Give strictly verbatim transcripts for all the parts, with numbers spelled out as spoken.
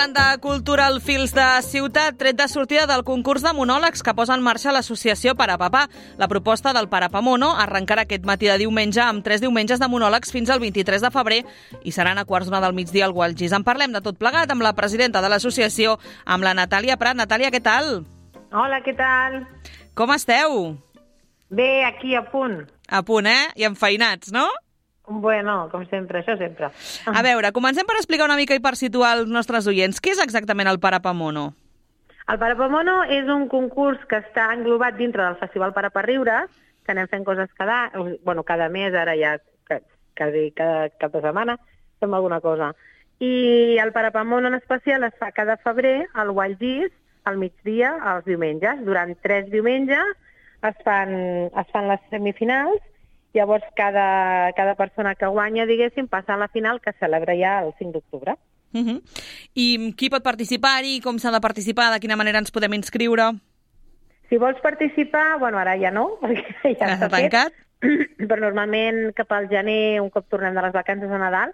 Parlant de Cultural Fils de Ciutat, tret de sortida del concurs de monòlegs que posa en marxa l'associació Parapapà. La proposta del Parapamono arrencarà aquest matí de diumenge amb tres diumenges de monòlegs fins al vint-i-tres de febrer i seran a quarts d'una del migdia al Gualgís. En parlem de tot plegat amb la presidenta de l'associació, amb la Natàlia Prat. Natàlia, què tal? Hola, què tal? Com esteu? Bé, aquí a punt. A punt, eh? I enfeinats, no? Bueno, com sempre, això sempre. A veure, comencem per explicar una mica i per situar els nostres oients. Què és exactament el Parapamono? El Parapamono és un concurs que està englobat dintre del Festival Paraparriures, que anem fent coses cada, bueno, cada mes, ara ja quasi cada cap de setmana, fem alguna cosa. I el Parapamono en especial es fa cada febrer al Gualgís, al migdia, als diumenges. Durant tres diumenges es fan, es fan les semifinals. Llavors, cada, cada persona que guanya, diguéssim, passa a la final, que es celebra ja el cinc d'octubre. Uh-huh. I qui pot participar-hi? Com s'ha de participar? De quina manera ens podem inscriure? Si vols participar, bueno, ara ja no, perquè ja està tancat. Fet, però normalment cap al gener, un cop tornem de les vacances de Nadal,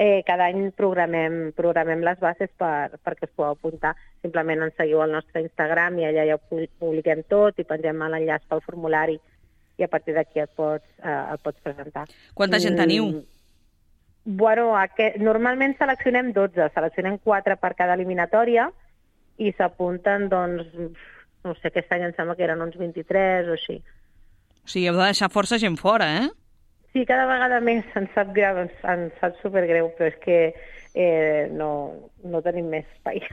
eh, cada any programem, programem les bases per, perquè es podeu apuntar. Simplement ens seguiu al nostre Instagram i allà ja ho publiquem tot i pengem l'enllaç pel formulari i a partir d'aquí et pots, eh, et pots presentar. Quanta gent teniu? Mm, bueno, aquest, normalment seleccionem dotze, seleccionem quatre per cada eliminatòria i s'apunten, doncs, no sé, aquest any em sembla que eren uns vint-i-tres o així. O sigui, heu de deixar força gent fora, eh? Sí, cada vegada més ens sap greu, ens, ens sap supergreu, però és que eh, no, no tenim més espai.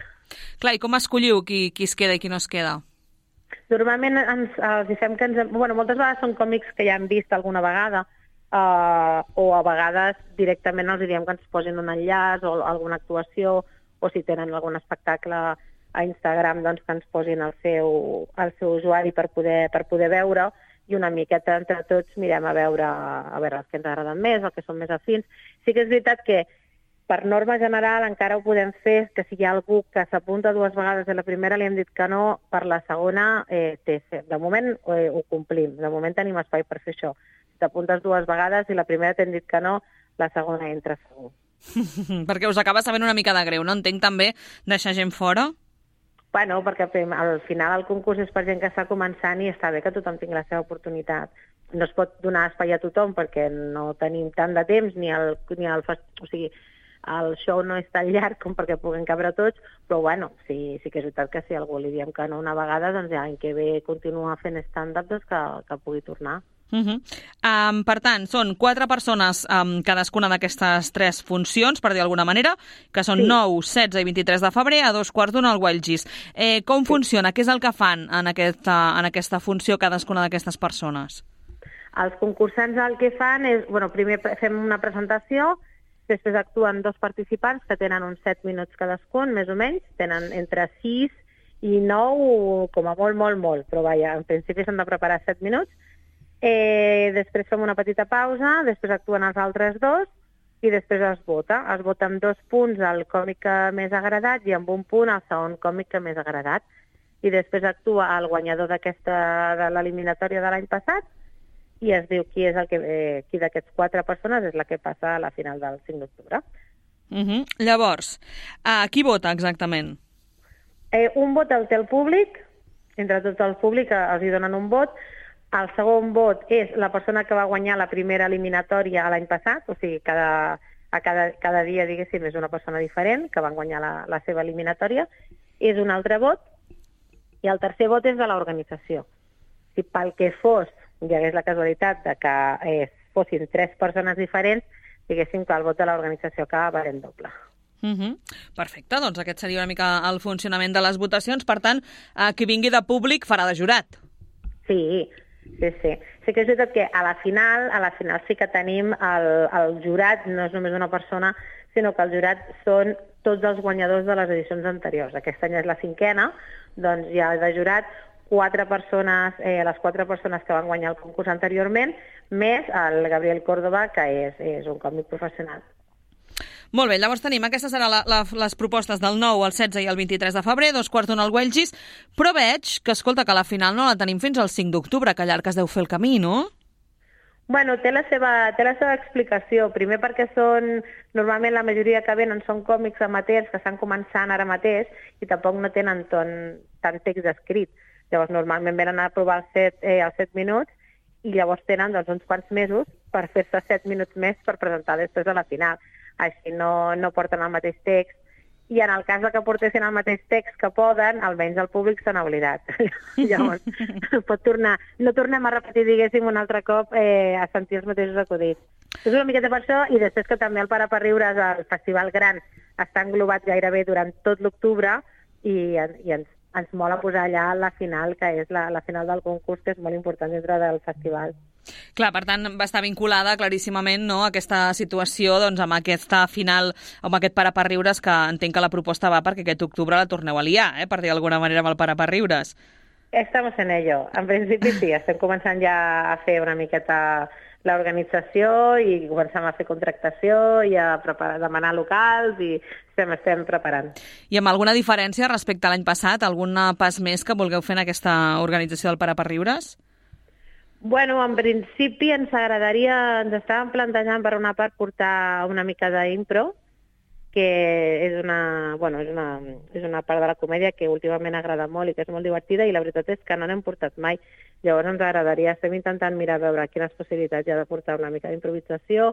Clar, i com escolliu qui, qui es queda i qui no es queda? Normalment ens, els fem que ens... Bueno, moltes vegades són còmics que ja hem vist alguna vegada eh, o a vegades directament els diem que ens posin un enllaç o alguna actuació o si tenen algun espectacle a Instagram doncs que ens posin el seu, el seu usuari per poder, per poder veure i una miqueta entre tots mirem a veure, a veure els que ens agraden més, els que són més afins. Sí que és veritat que per norma general encara ho podem fer, que si hi ha algú que s'apunta dues vegades i la primera li hem dit que no, per la segona eh, té ser. De moment eh, ho complim, de moment tenim espai per fer això. Si t'apuntes dues vegades i la primera t'hem dit que no, la segona entra segur. Perquè us acaba sabent una mica de greu, no? Entenc també deixar gent fora? Bueno, perquè al final el concurs és per gent que està començant i està bé que tothom tingui la seva oportunitat. No es pot donar espai a tothom perquè no tenim tant de temps ni el, ni el fest... o sigui, el show no és tan llarg com perquè puguin cabre tots, però bueno, sí, sí que és veritat que si algú li diem que no una vegada, doncs ja l'any que ve continua fent stand-up, doncs que, que pugui tornar. Uh-huh. Um, per tant, són quatre persones um, cadascuna d'aquestes tres funcions, per dir d'alguna manera, que són sí. nou, setze i vint-i-tres de febrer a dos quarts d'una al Gualgís. Eh, com sí. funciona? Què és el que fan en aquesta, en aquesta funció cadascuna d'aquestes persones? Els concursants el que fan és, bueno, primer fem una presentació, després actuen dos participants que tenen uns set minuts cadascun, més o menys, tenen entre sis i nou, com a molt, molt, molt, però vaja, en principi s'han de preparar set minuts. Eh, després fem una petita pausa, després actuen els altres dos i després es vota. Es vota amb dos punts el còmic que més ha agradat i amb un punt el segon còmic que més ha agradat. I després actua el guanyador d'aquesta de l'eliminatòria de l'any passat i es diu qui és el que eh, qui d'aquests quatre persones és la que passa a la final del cinc d'octubre. Uh-huh. Llavors, uh, qui vota exactament? Eh, un vot el té el públic, entre tot el públic els hi donen un vot. El segon vot és la persona que va guanyar la primera eliminatòria l'any passat, o sigui, cada, a cada, cada dia, diguéssim, és una persona diferent que van guanyar la, la seva eliminatòria, és un altre vot, i el tercer vot és de l'organització. Si pel que fos hi hagués la casualitat de que eh, fossin tres persones diferents, diguéssim que el vot de l'organització acaba valent doble. Uh-huh. Perfecte, doncs aquest seria una mica el funcionament de les votacions. Per tant, eh, qui vingui de públic farà de jurat. Sí, sí, sí. Sí que és veritat que a la final, a la final sí que tenim el, el jurat, no és només una persona, sinó que el jurat són tots els guanyadors de les edicions anteriors. Aquest any és la cinquena, doncs hi ha de jurat quatre persones, eh, les quatre persones que van guanyar el concurs anteriorment, més el Gabriel Córdoba, que és, és un còmic professional. Molt bé, llavors tenim, aquestes seran la, la, les propostes del nou, el setze i el vint-i-tres de febrer, dos quarts d'una al Gualgís, però veig que, escolta, que a la final no la tenim fins al cinc d'octubre, que llarg es deu fer el camí, no? Bueno, té la seva, té la seva explicació. Primer perquè són, normalment la majoria que venen són còmics amateurs que estan començant ara mateix i tampoc no tenen ton, tant text escrit. Llavors, normalment venen a provar els set, eh, els set minuts i llavors tenen doncs, uns quants mesos per fer-se set minuts més per presentar després a la final. Així no, no porten el mateix text. I en el cas de que portessin el mateix text que poden, almenys el públic se n'ha oblidat. Llavors, pot tornar, no tornem a repetir, diguéssim, un altre cop eh, a sentir els mateixos acudits. És una miqueta per això, i després que també el Para per Riures, el Festival Gran, està englobat gairebé durant tot l'octubre i, i ens, ens mola posar allà la final, que és la, la final del concurs, que és molt important dintre del festival. Clar, per tant, va estar vinculada claríssimament, no, a aquesta situació doncs, amb aquesta final, amb aquest Para per Riures, que entenc que la proposta va perquè aquest octubre la torneu a liar, eh, per dir d'alguna manera, amb el Para per Riures. Estamos en ello. En principi sí, estem començant ja a fer una miqueta l'organització i comencem a fer contractació i a preparar, demanar locals i estem, estem preparant. I amb alguna diferència respecte a l'any passat? Algun pas més que vulgueu fer en aquesta organització del Para per Riures? Bueno, en principi ens agradaria, ens estàvem plantejant per una part portar una mica d'impro, que és una, bueno, és, una, és una part de la comèdia que últimament agrada molt i que és molt divertida, i la veritat és que no n'hem portat mai. Llavors ens agradaria, estem intentant mirar a veure quines possibilitats hi ha de portar una mica d'improvisació,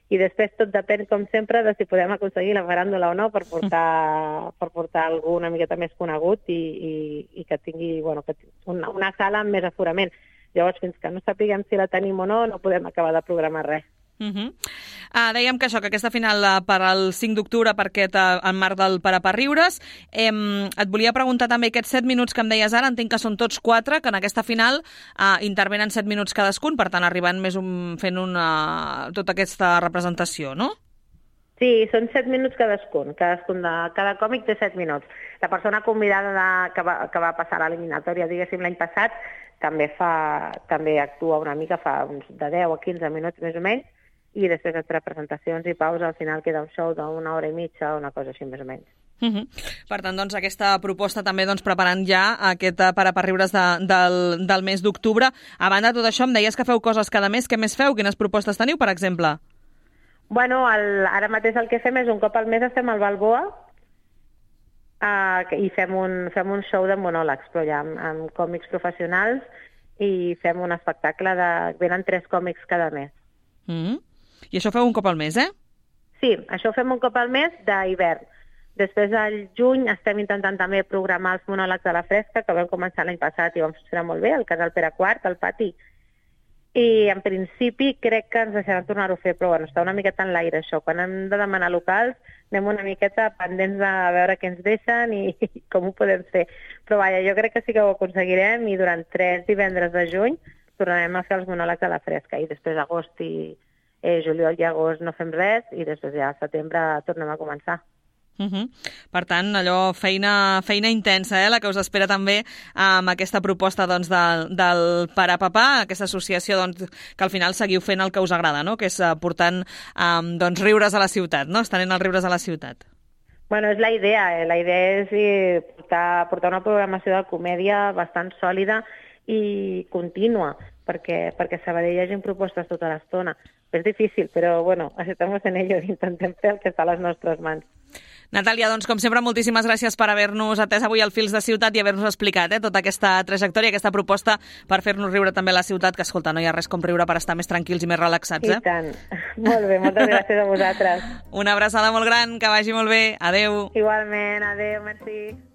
i després tot depèn, com sempre, de si podem aconseguir la faràndula o no per portar, per portar algú una miqueta més conegut i, i, i que tingui, bueno, que una, una sala amb més aforament. Llavors, fins que no sapiguem si la tenim o no, no podem acabar de programar res. Uh -huh. uh, dèiem que això, que aquesta final uh, per al cinc d'octubre, per aquest, uh, en marc del Para per Riures. Eh, et volia preguntar també aquests set minuts que em deies ara, entenc que són tots quatre, que en aquesta final uh, intervenen set minuts cadascun, per tant arribant més un, fent una, tota aquesta representació, no? Sí, són set minuts cadascun. Cadascun de, cada còmic té set minuts. La persona convidada de, que, va, que va passar a l'eliminatòria, diguéssim, l'any passat, també fa, també actua una mica, fa uns de deu a quinze minuts més o menys, i després entre presentacions i pausa al final queda un show d'una hora i mitja, una cosa així més o menys. Uh -huh. Per tant, doncs, aquesta proposta també doncs, preparant ja aquest Para per Riures de, del, del mes d'octubre. A banda de tot això, em deies que feu coses cada mes. Què més feu? Quines propostes teniu, per exemple? Bueno, el, ara mateix el que fem és un cop al mes estem al Balboa uh, i fem un, fem un show de monòlegs, però ja amb, amb còmics professionals, i fem un espectacle de... Venen tres còmics cada mes. Uh -huh. I això feu un cop al mes, eh? Sí, això fem un cop al mes d'hivern. Després, al juny, estem intentant també programar els monòlegs de la Fresca, que vam començar l'any passat i vam funcionar molt bé, al Casal Pere quart, al pati. I, en principi, crec que ens deixaran tornar-ho a fer, però bueno, està una miqueta en l'aire, això. Quan hem de demanar locals, anem una miqueta pendents de veure què ens deixen i, i com ho podem fer. Però, vaja, jo crec que sí que ho aconseguirem, i durant tres divendres de juny tornarem a fer els monòlegs de la Fresca, i després agost i eh, juliol i agost no fem res, i després ja al setembre tornem a començar. Uh -huh. Per tant, allò, feina, feina intensa, eh, la que us espera també amb aquesta proposta doncs, del, del Para Papà, aquesta associació doncs, que al final seguiu fent el que us agrada, no? Que és uh, portant um, doncs, riures a la ciutat, no? Estenent els riures a la ciutat. Bueno, és la idea. Eh? La idea és eh, portar, portar una programació de comèdia bastant sòlida i contínua, perquè, perquè a Sabadell hi hagi propostes tota l'estona. És difícil, però bueno, estamos en ello, intentem fer el que està a les nostres mans. Natàlia, doncs, com sempre, moltíssimes gràcies per haver-nos atès avui al Fils de Ciutat i haver-nos explicat eh, tota aquesta trajectòria, aquesta proposta per fer-nos riure també a la ciutat, que, escolta, no hi ha res com riure per estar més tranquils i més relaxats, eh? I tant. Molt bé, moltes gràcies a vosaltres. Una abraçada molt gran, que vagi molt bé. Adéu. Igualment, adéu, merci.